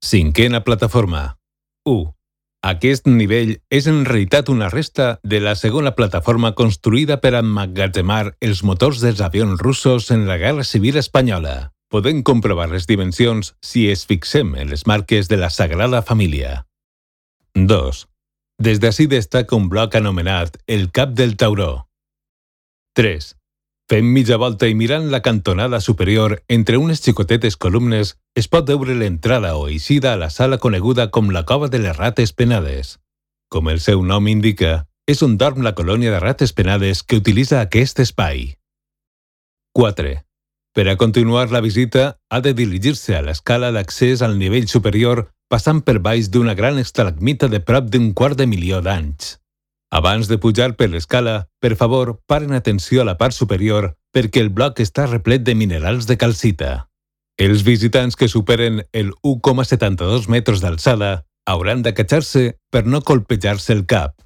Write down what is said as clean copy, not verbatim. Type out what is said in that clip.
Cinquena plataforma. 1. Aquest nivell és en realitat una resta de la segona plataforma construïda per emmagatzemar els motors dels avions russos en la Guerra Civil Espanyola. Podem comprovar les dimensions si es fixem en les marques de la Sagrada Família. 2. Des d'ací destaca un bloc anomenat el Cap del Tauró. 3. Fent mitja volta i mirant la cantonada superior entre unes xicotetes columnes es pot veure l'entrada o eixida a la sala coneguda com la Cova de les Rates Penades. Com el seu nom indica, és on dorm la colònia de rates penades que utilitza aquest espai. 4. Per a continuar la visita, ha de dirigir-se a l'escala d'accés al nivell superior passant per baix d'una gran estalagmita de prop d'250.000 d'anys. Abans de pujar per l'escala, per favor, paren atenció a la part superior perquè el bloc està replet de minerals de calcita. Els visitants que superen el 1,72 metres d'alçada hauran d'acatxar-se per no colpejar-se el cap.